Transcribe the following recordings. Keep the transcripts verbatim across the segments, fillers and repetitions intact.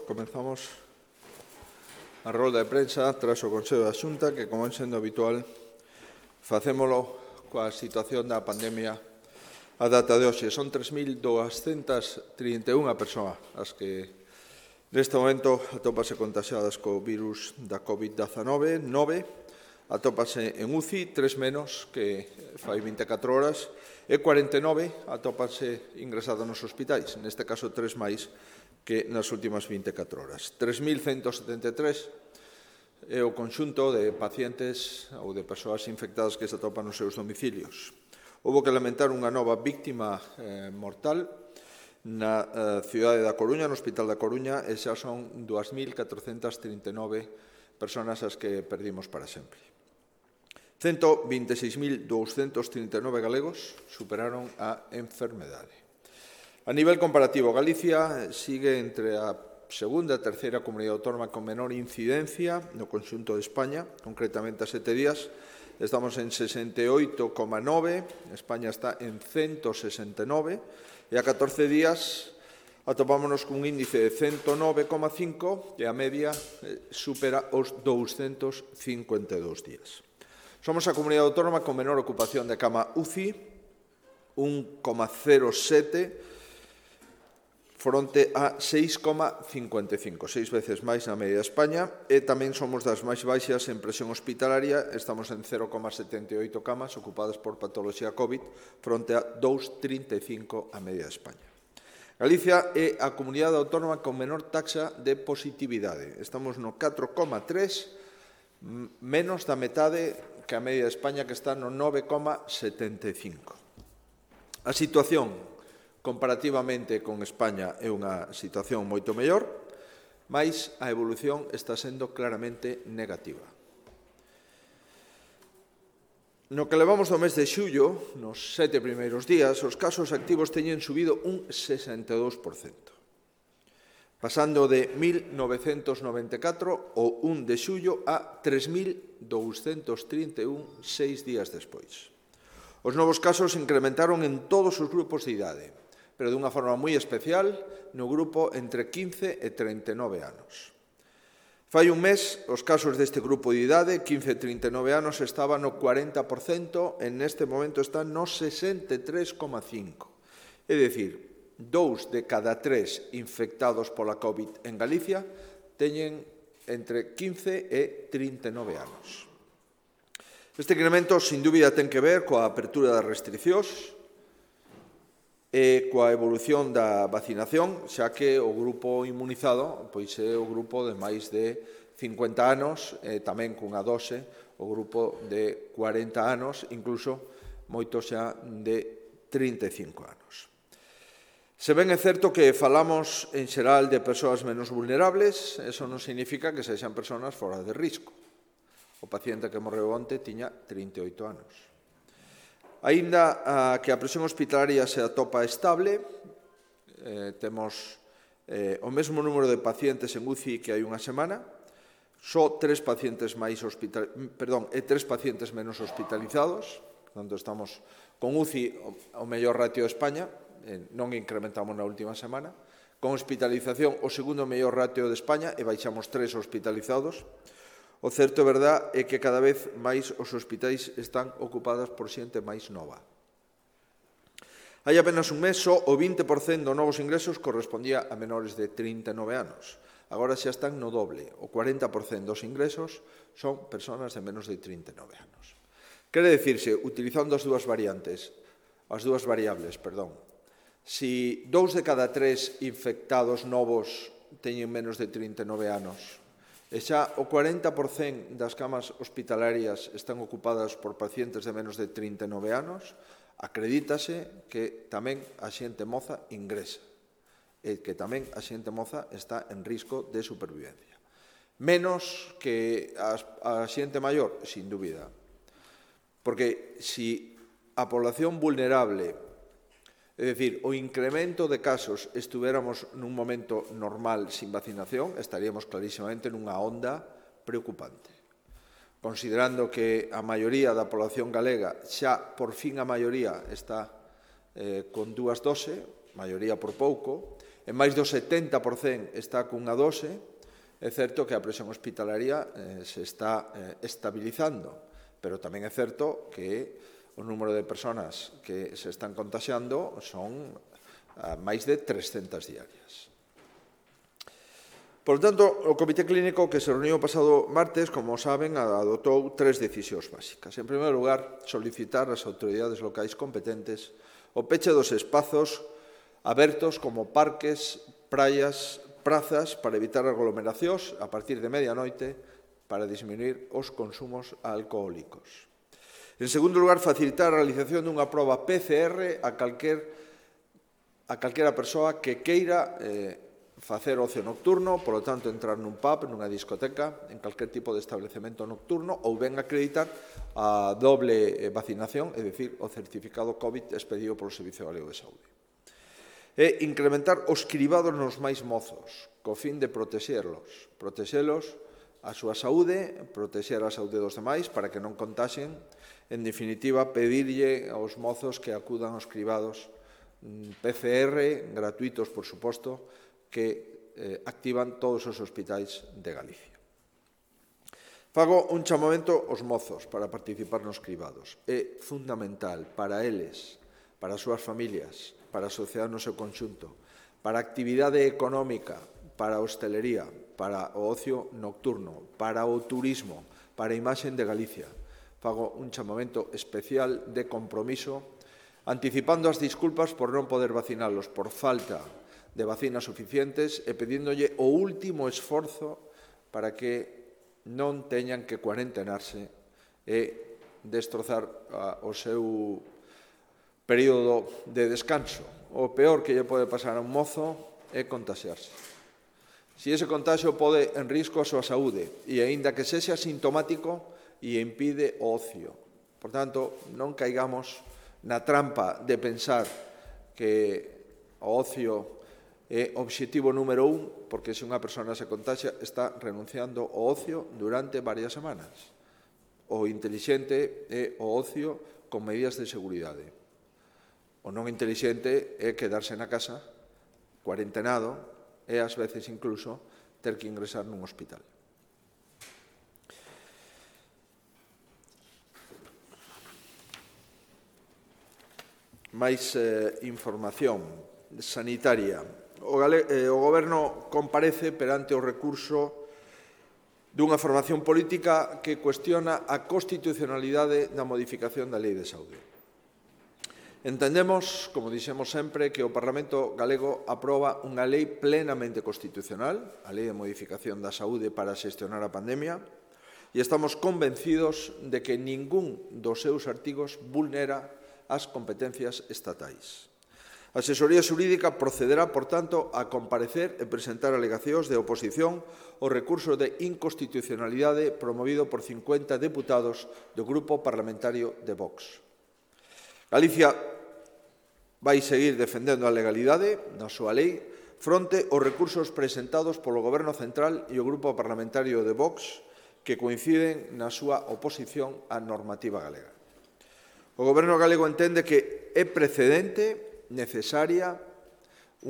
comenzamos a rolda de prensa tras o Consello da Xunta que, como é sendo habitual, facémolo coa situación da pandemia a data de hoxe. Son tres mil douscentas trinta e unha persoas as que neste momento atópase contagiadas co virus da COVID diecinueve, nove atópase en U C I, tres menos que fai vinte e catro horas, e cuarenta e nove atópase ingresadas nos hospitais, neste caso tres máis que nas últimas vinte e catro horas. tres mil cento setenta e tres é o conxunto de pacientes ou de persoas infectadas que se atopan nos seus domicilios. Houbo que lamentar unha nova víctima eh, mortal na eh, cidade da Coruña, no Hospital da Coruña, e xa son dúas mil catrocentas trinta e nove persoas as que perdimos para sempre. ciento vinte e seis mil douscentos trinta e nove galegos superaron a enfermedade. A nivel comparativo, Galicia sigue entre a segunda e terceira comunidade autónoma con menor incidencia no conxunto de España, concretamente a sete días. Estamos en sesenta e oito coma nove, España está en ciento sesenta e nove, e a catorce días atopámonos cun índice de ciento nove coma cinco e a media supera os douscentos cincuenta e dous días. Somos a comunidade autónoma con menor ocupación de cama U C I, un coma cero sete, fronte a seis coma cincuenta e cinco, seis veces máis na media de España, e tamén somos das máis baixas en presión hospitalaria, estamos en cero coma setenta e oito camas ocupadas por patoloxía COVID, fronte a dos coma trinta e cinco a media de España. Galicia é a comunidade autónoma con menor taxa de positividade, estamos no catro coma tres, menos da metade que a media de España, que está no nove coma setenta e cinco. A situación comparativamente con España é unha situación moito mellor, mas a evolución está sendo claramente negativa. No que levamos do mes de xullo, nos sete primeiros días, os casos activos teñen subido un sesenta e dous por cento, pasando de mil novecentos noventa e catro o un de xullo a tres mil douscentos trinta e un seis días despois. Os novos casos incrementaron en todos os grupos de idade, pero dunha forma moi especial no grupo entre quince e trinta e nove anos. Fai un mes, os casos deste grupo de idade, quince e trinta e nove anos, estaban no cuarenta por cento, e neste momento están no sesenta e tres coma cinco. É dicir, dous de cada tres infectados pola COVID en Galicia teñen entre quince e trinta e nove anos. Este incremento, sin dúbida, ten que ver coa apertura das restriccións e coa evolución da vacinación, xa que o grupo inmunizado pois é o grupo de máis de cincuenta anos, e tamén cunha dose o grupo de cuarenta anos, incluso moitos xa de trinta e cinco anos. Se ben é certo que falamos en xeral de persoas menos vulnerables, eso non significa que sexan persoas fora de risco. O paciente que morreu onte tiña trinta e oito anos. Aínda que a presión hospitalaria se atopa estable, eh, temos eh, o mesmo número de pacientes en U C I que hai unha semana, só tres pacientes máis hospital, perdón, e tres pacientes menos hospitalizados, portanto estamos con U C I o mellor ratio de España, eh, non incrementamos na última semana, con hospitalización o segundo mellor ratio de España e baixamos tres hospitalizados. O certo é verdad é que cada vez máis os hospitais están ocupados por xente máis nova. Hai apenas un mes, só o vinte por cento dos novos ingresos correspondía a menores de trinta e nove anos. Agora xa están no doble, o cuarenta por cento dos ingresos son persoas de menos de trinta e nove anos. Quere dicirse, utilizando as dúas variantes, as dúas variables, perdón, si dous de cada tres infectados novos teñen menos de trinta e nove anos, e xa o cuarenta por cento das camas hospitalarias están ocupadas por pacientes de menos de trinta e nove anos, acredítase que tamén a xente moza ingresa e que tamén a xente moza está en risco de supervivencia. Menos que a xente maior, sin dúbida. Porque si a población vulnerable, é dicir, o incremento de casos estuviéramos nun momento normal sin vacinación, estaríamos clarísimamente nunha onda preocupante. Considerando que a maioría da población galega, xa por fin a maioría está eh, con dúas doses, maioría por pouco, en máis do setenta por cento está cunha dose. É certo que a presión hospitalaria eh, se está eh, estabilizando, pero tamén é certo que o número de persoas que se están contaxiando son a máis de trescentas diarias. Por tanto, o Comité Clínico que se reuniu o pasado martes, como saben, adoptou tres decisións básicas. En primeiro lugar, solicitar ás autoridades locais competentes o peche dos espazos abertos como parques, praias, prazas para evitar aglomeracións a partir de medianoite para disminuir os consumos alcohólicos. En segundo lugar, facilitar a realización dunha proba P C R a calquer, a calquera persoa que queira eh, facer ocio nocturno, polo tanto, entrar nun pub, nunha discoteca, en calquer tipo de establecemento nocturno, ou ben acreditar a doble vacinación, é dicir, o certificado COVID expedido polo Servicio Galego de Saúde. E incrementar os cribados nos máis mozos, co fin de protexerlos, protexelos a súa saúde, protexer a saúde dos demais para que non contaxen, en definitiva, pedirlle aos mozos que acudan aos cribados P C R, gratuitos, por suposto, que eh, activan todos os hospitais de Galicia. Fago un chamamento aos mozos para participar nos cribados. É fundamental para eles, para as súas familias, para a sociedade no seu conxunto, para a actividade económica, para a hostelería, para o ocio nocturno, para o turismo, para a imaxe de Galicia. Fago un chamamento especial de compromiso, anticipando as disculpas por non poder vacinalos por falta de vacinas suficientes e pedíndolle o último esforzo para que non teñan que cuarentenarse e destrozar a, o seu período de descanso. O peor que lle pode pasar a un mozo é contaxiarse. Se ese contagio pode en risco a súa saúde e, aínda que sexa sintomático, e impide o ocio. Por tanto, non caigamos na trampa de pensar que o ocio é o obxectivo número un, porque se unha persona se contaxia está renunciando ao ocio durante varias semanas. O intelixente é o ocio con medidas de seguridade. O non intelixente é quedarse na casa, cuarentenado, e ás veces incluso ter que ingresar nun hospital. Máis eh, información sanitaria. O, Gale, eh, o Goberno comparece perante o recurso dunha formación política que cuestiona a constitucionalidade da modificación da Lei de Saúde. Entendemos, como dixemos sempre, que o Parlamento galego aproba unha lei plenamente constitucional, a Lei de Modificación da Saúde para xestionar a pandemia, e estamos convencidos de que ningún dos seus artigos vulnera as competencias estatais. A Asesoría Xurídica procederá, por tanto, a comparecer e presentar alegacións de oposición ao recurso de inconstitucionalidade promovido por cincuenta deputados do Grupo Parlamentario de Vox. Galicia vai seguir defendendo a legalidade na súa lei fronte aos recursos presentados polo Goberno Central e o Grupo Parlamentario de Vox que coinciden na súa oposición á normativa galega. O Goberno galego entende que é precedente, necesaria,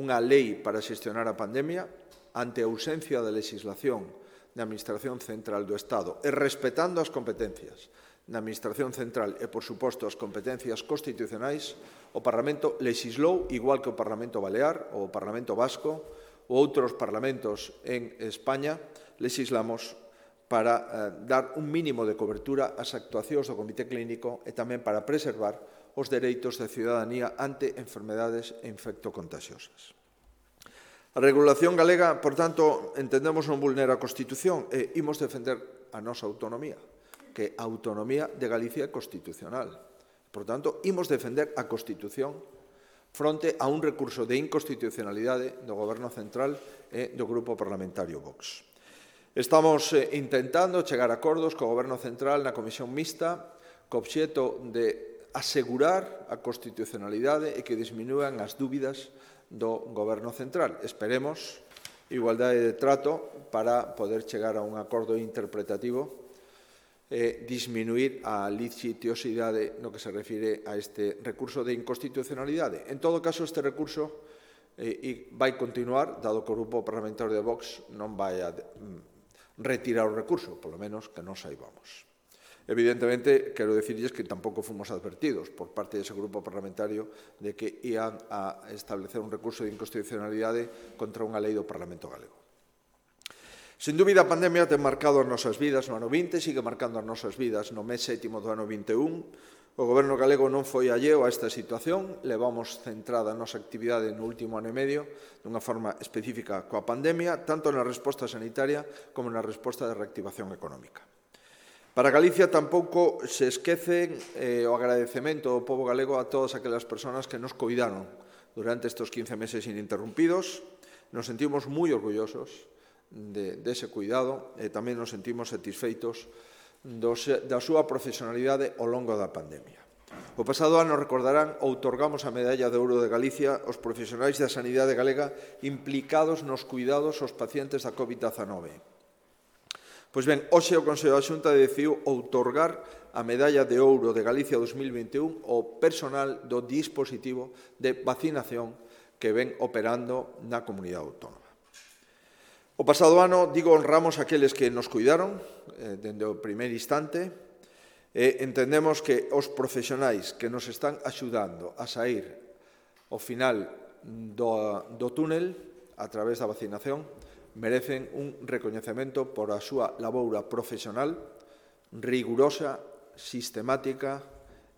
unha lei para xestionar a pandemia ante a ausencia de legislación da Administración Central do Estado e respetando as competencias da Administración Central e, por suposto, as competencias constitucionais, o Parlamento legislou, igual que o Parlamento Balear ou o Parlamento Vasco ou outros parlamentos en España, legislamos para eh, dar un mínimo de cobertura ás actuacións do Comité Clínico e tamén para preservar os dereitos da ciudadanía ante enfermedades infectocontaxiosas. A regulación galega, por tanto, entendemos non vulnera a Constitución e imos defender a nosa autonomía, que a autonomía de Galicia é constitucional. Por tanto, imos defender a Constitución fronte a un recurso de inconstitucionalidade do Goberno Central e do Grupo Parlamentario Vox. Estamos eh, intentando chegar a acordos co Goberno Central na Comisión Mixta co obxeto de asegurar a constitucionalidade e que disminúan as dúbidas do Goberno Central. Esperemos igualdade de trato para poder chegar a un acordo interpretativo e disminuir a litigiosidade no que se refire a este recurso de inconstitucionalidade. En todo caso, este recurso e vai continuar, dado que o Grupo Parlamentario de Vox non vai a retirar o recurso, polo menos que non saibamos. Evidentemente, quero dicirles que tampouco fomos advertidos por parte dese grupo parlamentario de que ian a establecer un recurso de inconstitucionalidade contra unha lei do Parlamento galego. Sen dúbida, a pandemia ten marcado as nosas vidas no ano vinte, sigue marcando as nosas vidas no mes sétimo do ano vinte e un. O Goberno galego non foi alleo a esta situación, levamos centrada a nosa actividade no último ano e medio dunha forma específica coa pandemia, tanto na resposta sanitaria como na resposta de reactivación económica. Para Galicia tampouco se esquece eh, o agradecemento do pobo galego a todas aquelas persoas que nos coidaron durante estes quince meses ininterrumpidos. Nos sentimos moi orgullosos de, de ese cuidado e tamén nos sentimos satisfeitos dos, da súa profesionalidade ao longo da pandemia. O pasado ano, recordarán, outorgamos a Medalla de Ouro de Galicia aos profesionais da sanidade galega implicados nos cuidados aos pacientes da COVID diecinueve. Pois ben, hoxe o Consello da Xunta decidiu outorgar a Medalla de Ouro de Galicia dos mil vinte e un ao personal do dispositivo de vacinación que ven operando na comunidade autónoma. O pasado ano, digo, honramos aqueles que nos cuidaron eh, dende o primeiro instante e entendemos que os profesionais que nos están axudando a sair ao final do, do túnel a través da vacinación merecen un recoñecemento por a súa laboura profesional, rigurosa, sistemática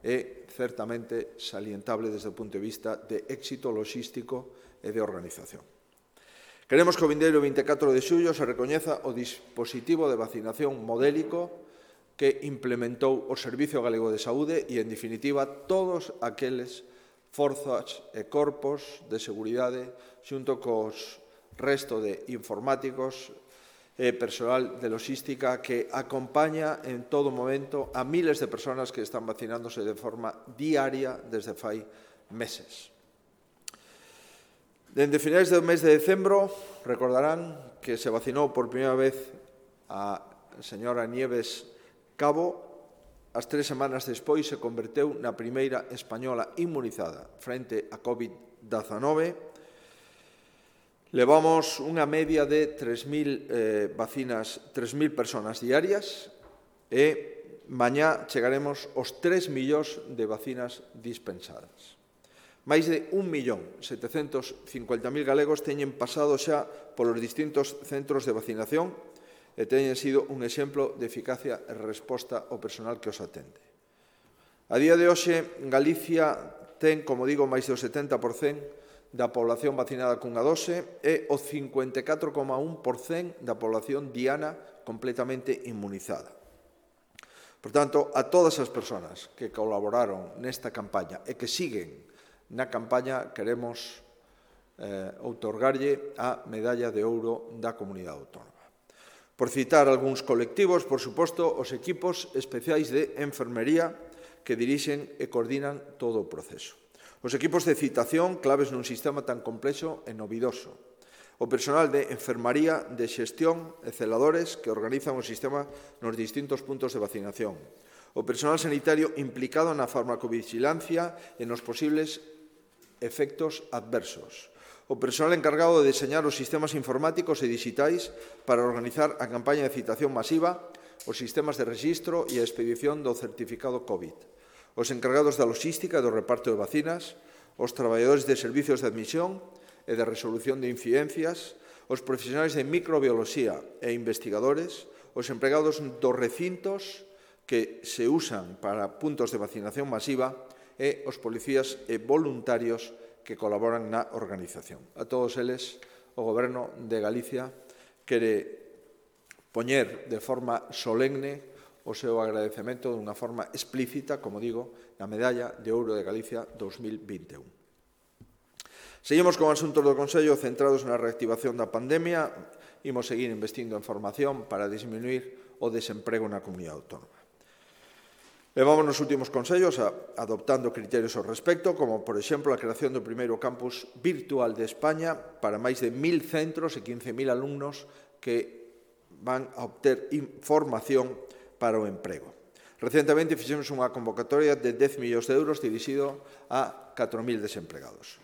e certamente salientable desde o punto de vista de éxito logístico e de organización. Queremos que o vindeiro vinte e catro de xullo se recoñeza o dispositivo de vacinación modélico que implementou o Servicio Galego de Saúde e, en definitiva, todos aqueles forzas e corpos de seguridade xunto cos resto de informáticos e persoal de logística que acompaña en todo momento a miles de persoas que están vacinándose de forma diaria desde fai meses. Dende finais do mes de decembro, recordarán que se vacinou por primeira vez a señora Nieves Cabo. As tres semanas despois se converteu na primeira española inmunizada frente a COVID diecinueve. Levamos unha media de tres mil eh, vacinas, tres mil persoas diarias e mañá chegaremos aos tres millóns de vacinas dispensadas. Máis de un millón setecentos cincuenta mil galegos teñen pasado xa polos distintos centros de vacinación e teñen sido un exemplo de eficacia e resposta ao personal que os atende. A día de hoxe, Galicia ten, como digo, máis do setenta por cento da población vacinada cunha dose e o cincuenta e catro coma un por cento da población diana completamente inmunizada. Por tanto, a todas as persoas que colaboraron nesta campaña e que siguen na campaña, queremos eh, outorgarlle a Medalla de Ouro da Comunidade Autónoma. Por citar algúns colectivos, por suposto, os equipos especiais de enfermería que dirixen e coordinan todo o proceso. Os equipos de citación, claves nun sistema tan complexo e novidoso. O personal de enfermaría, de xestión e celadores que organizan o sistema nos distintos puntos de vacinación. O personal sanitario implicado na farmacovigilancia e nos posibles efectos adversos. O personal encargado de deseñar os sistemas informáticos e digitais para organizar a campaña de citación masiva, os sistemas de rexistro e a expedición do certificado COVID. Os encargados da logística e do reparto de vacinas, os traballadores de servicios de admisión e de resolución de incidencias, os profesionais de microbioloxía e investigadores, os empregados dos recintos que se usan para puntos de vacinación masiva e os policías e voluntarios que colaboran na organización. A todos eles, o Goberno de Galicia quere poñer de forma solemne o seu agradecemento dunha forma explícita, como digo, na Medalla de Ouro de Galicia dos mil vinte e un. Seguimos con asuntos do Consello centrados na reactivación da pandemia. Imos seguir investindo en formación para disminuir o desemprego na comunidade autónoma. Levamos nos últimos consellos a, adoptando criterios ao respecto, como, por exemplo, a creación do primeiro campus virtual de España para máis de mil centros e quince mil alumnos que van a obter formación para o emprego. Recentemente fixemos unha convocatoria de dez millóns de euros dirixido a catro mil desempregados.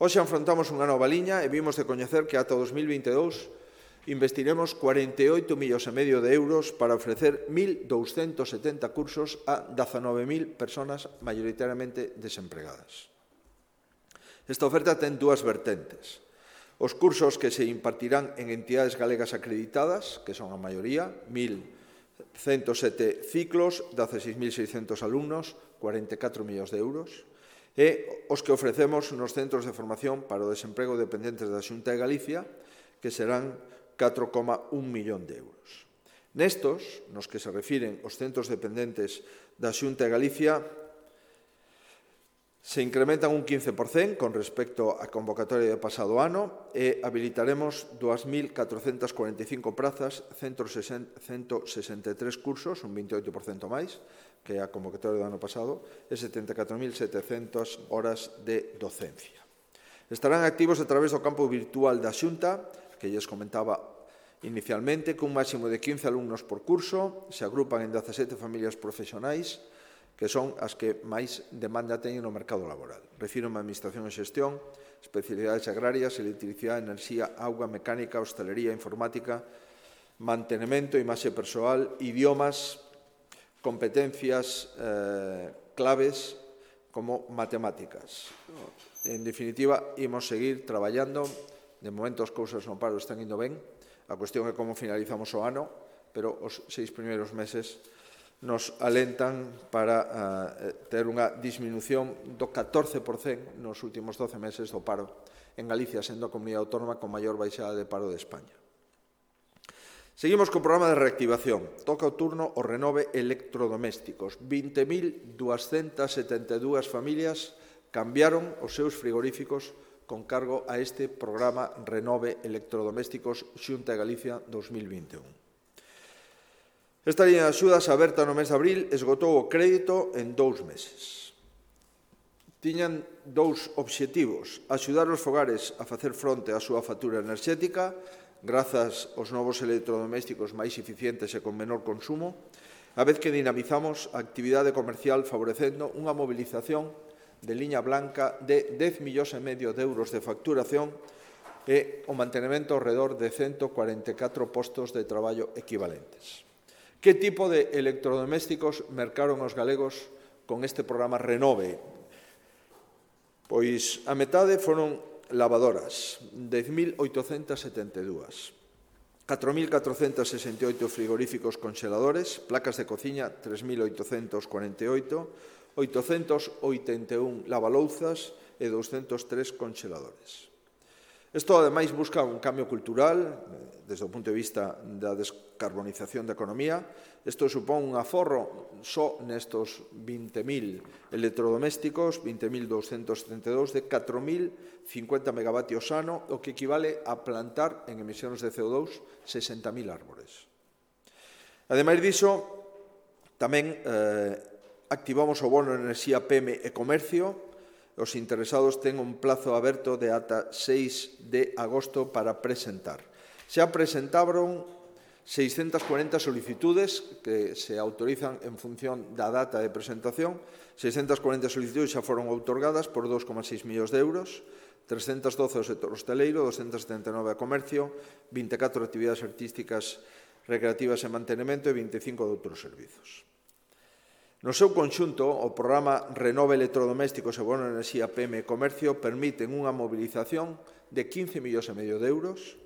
Hoxe afrontamos unha nova liña e vimos de coñecer que ata dos mil vinte e dous investiremos cuarenta e oito millóns e medio de euros para ofrecer mil douscentos setenta cursos a dezanove mil persoas maioritariamente desempregadas. Esta oferta ten dúas vertentes. Os cursos que se impartirán en entidades galegas acreditadas, que son a maioría, mil ciento sete ciclos, dezaseis mil seiscentos alumnos, cuarenta e catro millóns de euros, e os que ofrecemos nos centros de formación para o desemprego dependentes da Xunta de Galicia, que serán catro coma un millón de euros. Nestos, nos que se refiren os centros dependentes da Xunta de Galicia, se incrementan un quince por cento con respecto á convocatoria do pasado ano e habilitaremos dúas mil catrocentas cuarenta e cinco prazas, ciento sesenta e tres cursos, un veintioito por cento máis que a convocatoria do ano pasado, e setenta e catro mil setecentas horas de docencia. Estarán activos a través do campo virtual da Xunta, que lles comentaba inicialmente, cun máximo de quince alumnos por curso, se agrupan en dezasete familias profesionais, que son as que máis demanda teñen no mercado laboral. Refírome a Administración e Xestión, especialidades agrarias, electricidade, enerxía, auga, mecánica, hostalería, informática, mantenimento, imaxe persoal, idiomas, competencias eh, claves como matemáticas. En definitiva, imos seguir traballando. De momento as cousas no paro están indo ben. A cuestión é como finalizamos o ano, pero os seis primeiros meses nos alentan para uh, ter unha disminución do catorce por cento nos últimos doce meses do paro en Galicia, sendo a comunidade autónoma con maior baixada de paro de España. Seguimos co programa de reactivación. Toca o turno o Renove electrodomésticos. vinte mil duascentas setenta e dúas familias cambiaron os seus frigoríficos con cargo a este programa Renove electrodomésticos Xunta de Galicia dos mil vinte e un. Esta liña de axudas aberta no mes de abril esgotou o crédito en dous meses. Tiñan dous obxectivos: axudar os fogares a facer fronte á súa factura enerxética grazas aos novos electrodomésticos máis eficientes e con menor consumo, a vez que dinamizamos a actividade comercial favorecendo unha mobilización de liña blanca de dez millóns e medio de euros de facturación e o mantenimento ao redor de ciento cuarenta e catro postos de traballo equivalentes. Que tipo de electrodomésticos mercaron os galegos con este programa Renove? Pois a metade foron lavadoras, dez mil oitocentas setenta e dúas, catro mil catrocentas sesenta e oito frigoríficos congeladores, placas de cociña, tres mil oitocentos cuarenta e oito, oitocentos oitenta e un lavalouzas e douscentos tres congeladores. Isto, ademais, busca un cambio cultural desde o punto de vista da descarbonización da economía. Isto supón un aforro só nestos vinte mil electrodomésticos, vinte mil douscentos setenta e dous, de catro mil cincuenta megavatios ano, o que equivale a plantar en emisións de C O dous sesenta mil árbores. Ademais diso, tamén eh, activamos o bono de enerxía P M e comercio. Os interesados ten un plazo aberto de ata seis de agosto para presentar. Xa presentaron seiscentas cuarenta solicitudes que se autorizan en función da data de presentación. seiscentas cuarenta solicitudes xa foron outorgadas por dos coma seis millóns de euros, trescentas doce ao sector hosteleiro, doscientas setenta e nove a comercio, vinte e catro actividades artísticas, recreativas e mantenimento e vinte e cinco de outros servizos. No seu conxunto, o programa Renove electrodomésticos e bono de enerxía P M e comercio permiten unha mobilización de quince millóns e medio de euros,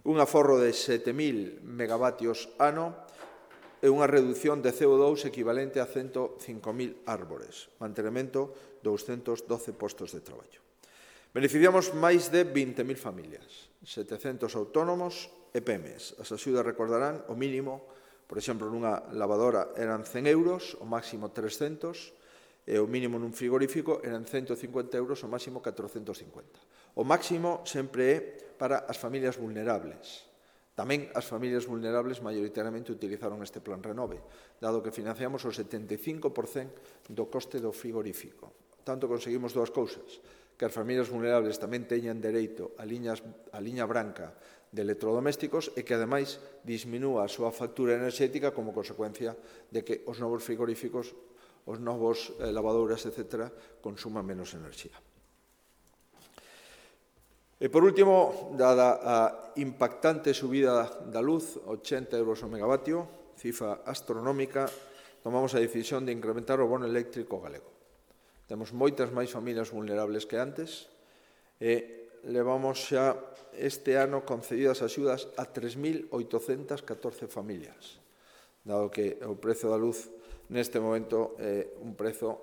un aforro de sete mil megavatios ano e unha reducción de C O dous equivalente a ciento cinco mil árbores, mantenimento douscentos doce postos de traballo. Beneficiamos máis de vinte mil familias, setecentos autónomos e P M Es. As axudas recordarán o mínimo. Por exemplo, nunha lavadora eran cen euros, o máximo trescentos, e o mínimo nun frigorífico eran ciento cincuenta euros, o máximo catrocentos cincuenta. O máximo sempre é para as familias vulnerables. Tamén as familias vulnerables maioritariamente utilizaron este plan Renove, dado que financiamos o setenta e cinco por cento do coste do frigorífico. Tanto conseguimos dúas cousas: que as familias vulnerables tamén teñan dereito a, liñas, a liña branca de electrodomésticos e que, ademais, disminúa a súa factura enerxética como consecuencia de que os novos frigoríficos, os novos eh, lavadoras, etcétera, consuman menos enerxía. E, por último, dada a impactante subida da luz, ochenta euros o megavatio, cifra astronómica, tomamos a decisión de incrementar o bono eléctrico galego. Temos moitas máis familias vulnerables que antes e levamos xa este ano concedidas axudas a tres mil oitocentas catorce familias, dado que o prezo da luz neste momento é un prezo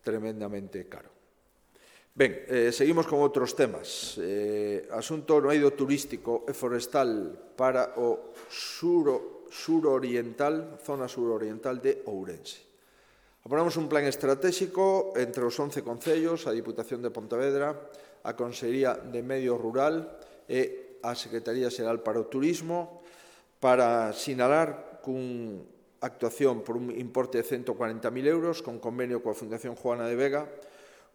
tremendamente caro. Ben, eh, seguimos con outros temas. Eh, asunto no eido turístico e forestal para o sur, suroriental, zona suroriental de Ourense. Aprobamos un plan estratégico entre os once concellos, a Diputación de Pontevedra, a Consellería de Medio Rural e a Secretaría Xeral para o Turismo para sinalar cun actuación por un importe de ciento cuarenta mil euros con convenio coa Fundación Juana de Vega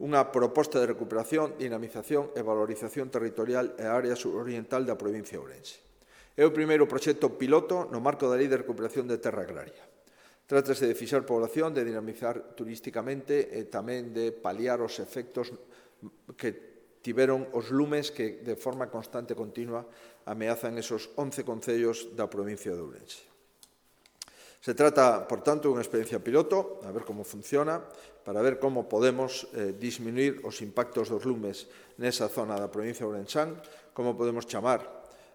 unha proposta de recuperación, dinamización e valorización territorial e área suroriental da provincia de Ourense. É o primeiro proxecto piloto no marco da Lei de Recuperación de Terra Agraria. Trátase de fixar población, de dinamizar turísticamente e tamén de paliar os efectos que tiveron os lumes que de forma constante e continua ameazan esos once concellos da provincia de Ourense. Se trata, por tanto, de unha experiencia piloto, a ver como funciona, para ver como podemos eh, disminuir os impactos dos lumes nesa zona da provincia de Ourensán, como podemos chamar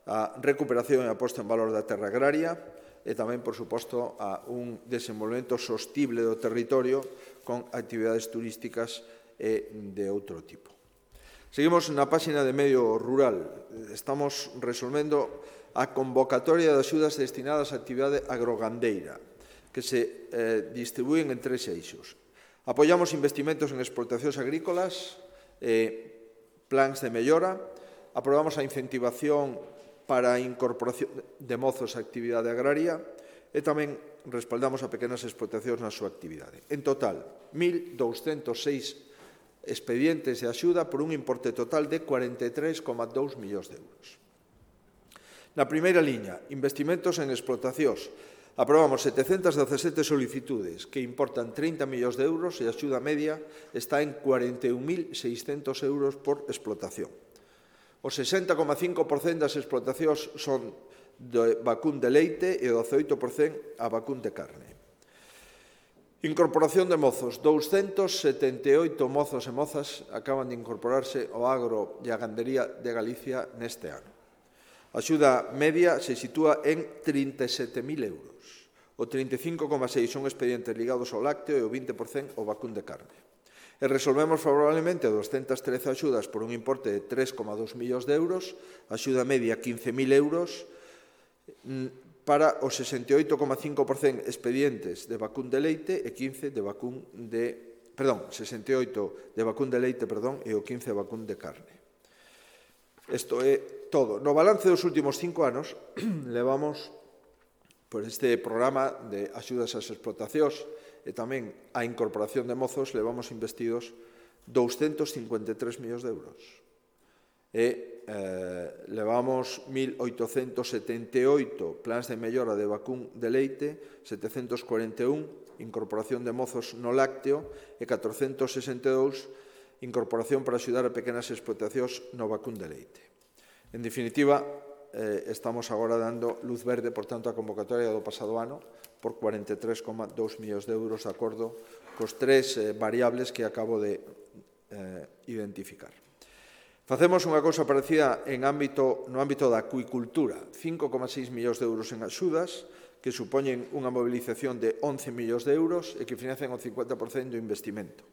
a recuperación e a posta en valor da terra agraria e tamén, por suposto, a un desenvolvemento sostible do territorio con actividades turísticas e de outro tipo. Seguimos na páxina de Medio Rural. Estamos resolvendo a convocatoria de axudas destinadas á actividade agrogandeira, que se eh, distribúen en tres eixos. Apoiamos investimentos en explotacións agrícolas, eh, plans de mellora, aprobamos a incentivación para a incorporación de mozos á actividade agraria e tamén respaldamos a pequenas explotacións na súa actividade. En total, mil douscentos seis expedientes de axuda por un importe total de cuarenta e tres coma dous millóns de euros. Na primeira liña, investimentos en explotacións. Aprobamos setecentas dezasete solicitudes que importan trinta millóns de euros e a axuda media está en cuarenta e un mil seiscentos euros por explotación. O sesenta coma cinco por cento das explotacións son de vacún de leite e o dezaoito por cento a vacún de carne. Incorporación de mozos. douscentos setenta e oito mozos e mozas acaban de incorporarse ao agro e a gandería de Galicia neste ano. A axuda media se sitúa en trinta e sete mil euros. O trinta e cinco coma seis por cento son expedientes ligados ao lácteo e o vinte por cento ao vacún de carne. E resolvemos favorablemente doscientas trece axudas por un importe de tres coma dous millóns de euros, axuda media quince mil euros, para os sesenta e oito coma cinco por cento expedientes de vacún de leite e quince de vacún de, perdón, sesenta e oito de vacún de leite, perdón, e o quince de vacún de carne. Isto é todo. No balance dos últimos cinco anos, levamos por este programa de axudas ás explotacións e tamén a incorporación de mozos, levamos investidos douscentos cincuenta e tres millóns de euros. E eh, levamos mil oitocentos setenta e oito plans de mellora de vacún de leite, setecentos cuarenta e un incorporación de mozos no lácteo e catrocentos sesenta e dous incorporación para axudar a pequenas explotacións no vacún de leite. En definitiva, eh, estamos agora dando luz verde, por tanto, a convocatoria do pasado ano por cuarenta e tres coma dous millóns de euros de acordo cos tres eh, variables que acabo de eh, identificar. Facemos unha cousa parecida en ámbito, no ámbito da acuicultura, cinco coma seis millóns de euros en axudas, que supoñen unha mobilización de once millóns de euros e que financian o cincuenta por cento do investimento.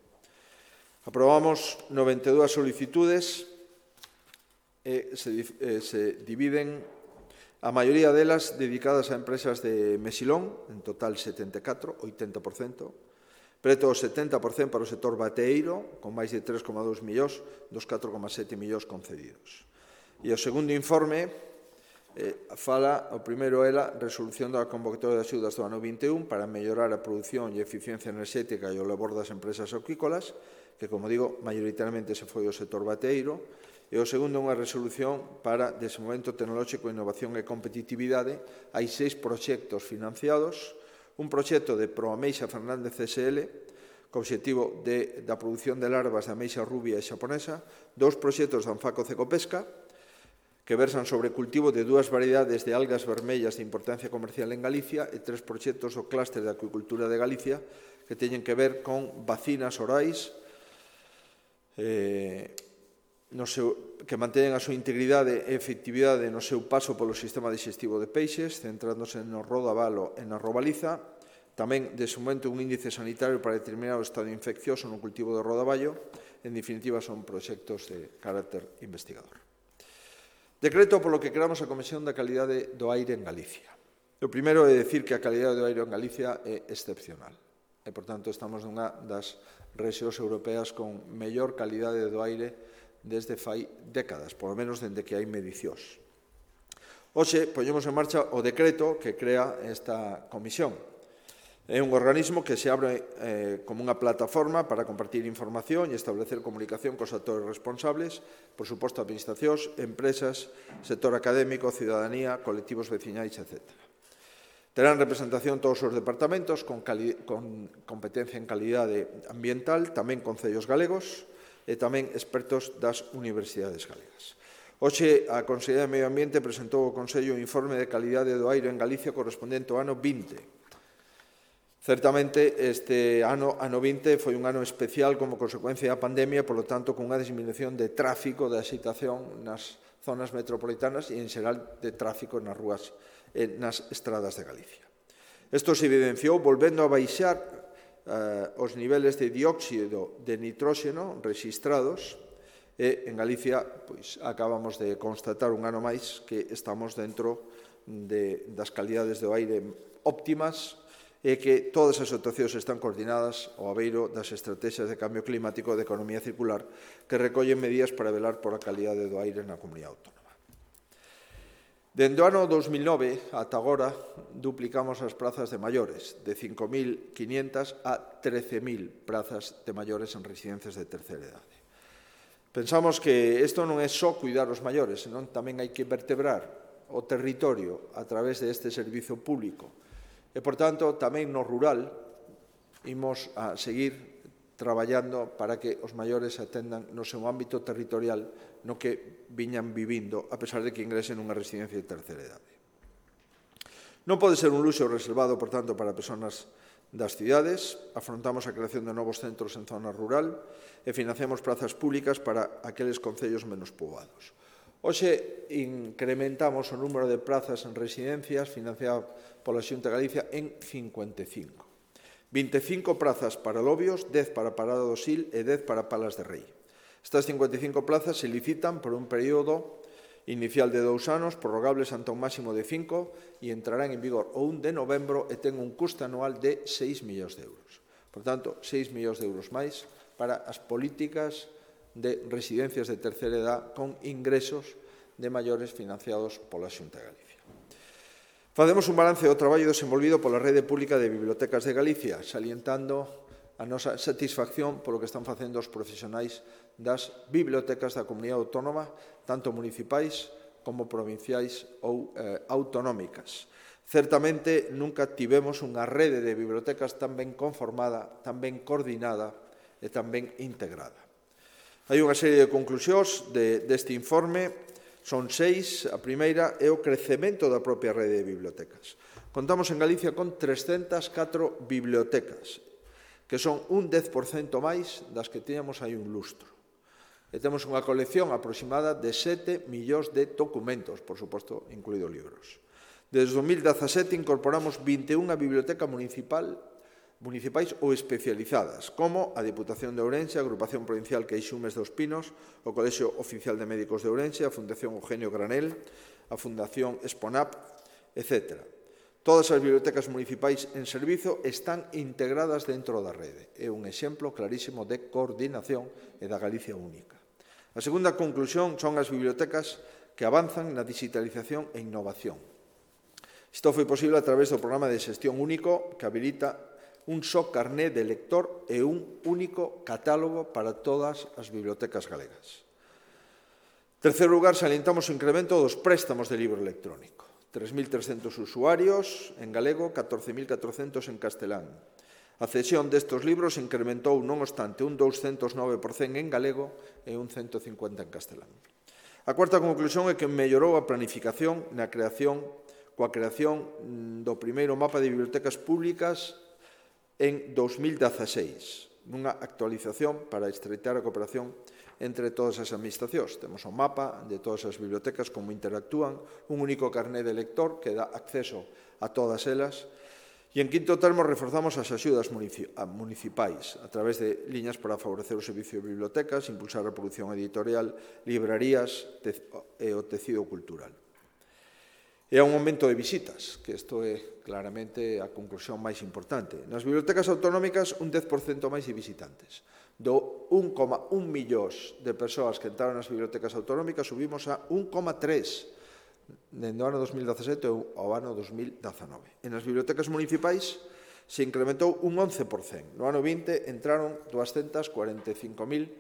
Aprobamos noventa e dúas solicitudes e se, eh, se dividen, a maioría delas dedicadas a empresas de Mesilón, en total setenta e catro, oitenta por cento, preto o setenta por cento para o sector bateeiro, con máis de tres coma dous millóns dos catro coma sete millóns concedidos. E o segundo informe eh, fala, o primeiro ela, resolución da convocatoria de axudas do ano vinte e un para mellorar a produción e eficiencia enerxética e o labor das empresas acuícolas, que, como digo, maioritariamente se foi o sector bateeiro, e o segundo unha resolución para desenvolvemento tecnolóxico, innovación e competitividade. Hai seis proxectos financiados, un proxecto de Proameixa Fernández C S L co obxectivo de, da produción de larvas de ameixa rubia e xaponesa, dous proxectos de Anfaco Cecopesca, que versan sobre cultivo de dúas variedades de algas vermellas de importancia comercial en Galicia e tres proxectos do clúster de acuicultura de Galicia que teñen que ver con vacinas orais eh, no seu, que manteñen a súa integridade e efectividade no seu paso polo sistema digestivo de peixes, centrándose no rodavalo e na robaliza. Tamén, de momento, un índice sanitario para determinar o estado infeccioso no cultivo do rodaballo. En definitiva, son proxectos de carácter investigador. Decreto polo que creamos a Comisión da Calidade do Aire en Galicia. O primeiro é dicir que a calidade do aire en Galicia é excepcional. E, por tanto, estamos nunha das rexións europeas con mellor calidade do aire desde fai décadas, polo menos dende que hai medicións. Hoxe, poñemos en marcha o decreto que crea esta comisión. É un organismo que se abre eh, como unha plataforma para compartir información e establecer comunicación cos actores responsables, por suposto, administracións, empresas, sector académico, cidadanía, colectivos veciñais, etcétera. Terán representación todos os departamentos con, con competencia en calidade ambiental, tamén concellos galegos e tamén expertos das universidades galegas. Hoxe, a Consellería de Medio Ambiente presentou ao Consello o informe de calidade do aire en Galicia correspondente ao ano vinte. Certamente, este ano, ano vinte, foi un ano especial como consecuencia da pandemia, polo tanto, con unha disminución de tráfico, de excitación nas zonas metropolitanas e, en xeral, de tráfico nas rúas e nas estradas de Galicia. Isto se evidenciou volvendo a baixar eh, os niveles de dióxido de nitróxeno rexistrados e, en Galicia, pois, acabamos de constatar un ano máis que estamos dentro de, das calidades do aire óptimas e que todas as actuacións están coordinadas ao abeiro das estrategias de cambio climático e de economía circular que recollen medidas para velar por a calidade do aire na comunidade autónoma. Dende o ano dos mil nove ata agora duplicamos as prazas de maiores, de cinco mil quinhentas a trece mil prazas de maiores en residencias de terceira idade. Pensamos que isto non é só cuidar os maiores, senón tamén hai que vertebrar o territorio a través deste servizo público. E, por tanto, tamén no rural imos a seguir traballando para que os maiores atendan no seu ámbito territorial no que viñan vivindo, a pesar de que ingresen nunha residencia de terceira idade. Non pode ser un luxo reservado, por tanto, para persoas das cidades. Afrontamos a creación de novos centros en zona rural e financiamos plazas públicas para aqueles concellos menos poboados. Hoxe incrementamos o número de plazas en residencias financiadas pola Xunta de Galicia en cincuenta e cinco. vinte e cinco plazas para Lobios, dez para Parada do Sil e dez para Palas de Rei. Estas cincuenta e cinco plazas se licitan por un período inicial de dous anos, prorrogables ante un máximo de cinco, e entrarán en vigor o un de novembro e ten un custo anual de seis millóns de euros. Por tanto, seis millóns de euros máis para as políticas de residencias de terceira edad con ingresos de maiores financiados pola Xunta de Galicia. Facemos un balance do traballo desenvolvido pola Rede Pública de Bibliotecas de Galicia, salientando a nosa satisfacción polo que están facendo os profesionais das bibliotecas da comunidade autónoma, tanto municipais como provinciais ou eh, autonómicas. Certamente, nunca tivemos unha rede de bibliotecas tan ben conformada, tan ben coordinada e tan ben integrada. Hai unha serie de conclusións de, deste informe, son seis. A primeira é o crecemento da propia rede de bibliotecas. Contamos en Galicia con trescentas catro bibliotecas, que son un dez por cento máis das que tiñamos hai un lustro. E temos unha colección aproximada de sete millóns de documentos, por suposto, incluídos libros. Desde o dos mil dezasete incorporamos vinte e unha bibliotecas municipal municipais ou especializadas, como a Deputación de Ourense, a Agrupación Provincial Queixumes dos Pinos, o Colexio Oficial de Médicos de Ourense, a Fundación Eugenio Granel, a Fundación Esponap, etcétera. Todas as bibliotecas municipais en servizo están integradas dentro da rede. É un exemplo clarísimo de coordinación e da Galicia única. A segunda conclusión son as bibliotecas que avanzan na digitalización e innovación. Isto foi posible a través do programa de xestión único que habilita un só carné de lector e un único catálogo para todas as bibliotecas galegas. En terceiro lugar, salientamos o incremento dos préstamos de libro electrónico. tres mil trescentos usuarios en galego, catorce mil catrocentos en castelán. A cesión destes libros incrementou, non obstante, un douscentos nove por cento en galego e un ciento cincuenta por cento en castelán. A cuarta conclusión é que mellorou a planificación na creación, coa creación do primeiro mapa de bibliotecas públicas en dos mil dieciséis, nunha actualización para estreitar a cooperación entre todas as administracións. Temos un mapa de todas as bibliotecas, como interactúan, un único carné de lector que dá acceso a todas elas. E, en quinto termo, reforzamos as axudas municipais a través de liñas para favorecer o servicio de bibliotecas, impulsar a produción editorial, librarías e o tecido cultural. E a un aumento de visitas, que isto é claramente a conclusión máis importante. Nas bibliotecas autonómicas, un dez por cento máis de visitantes. Do un coma un millóns de persoas que entraron nas bibliotecas autonómicas, subimos a un coma tres dende o ano dos mil dezasete ao ano dos mil dezanove. E nas bibliotecas municipais se incrementou un once por cento. No ano vinte entraron doscientas cuarenta e cinco mil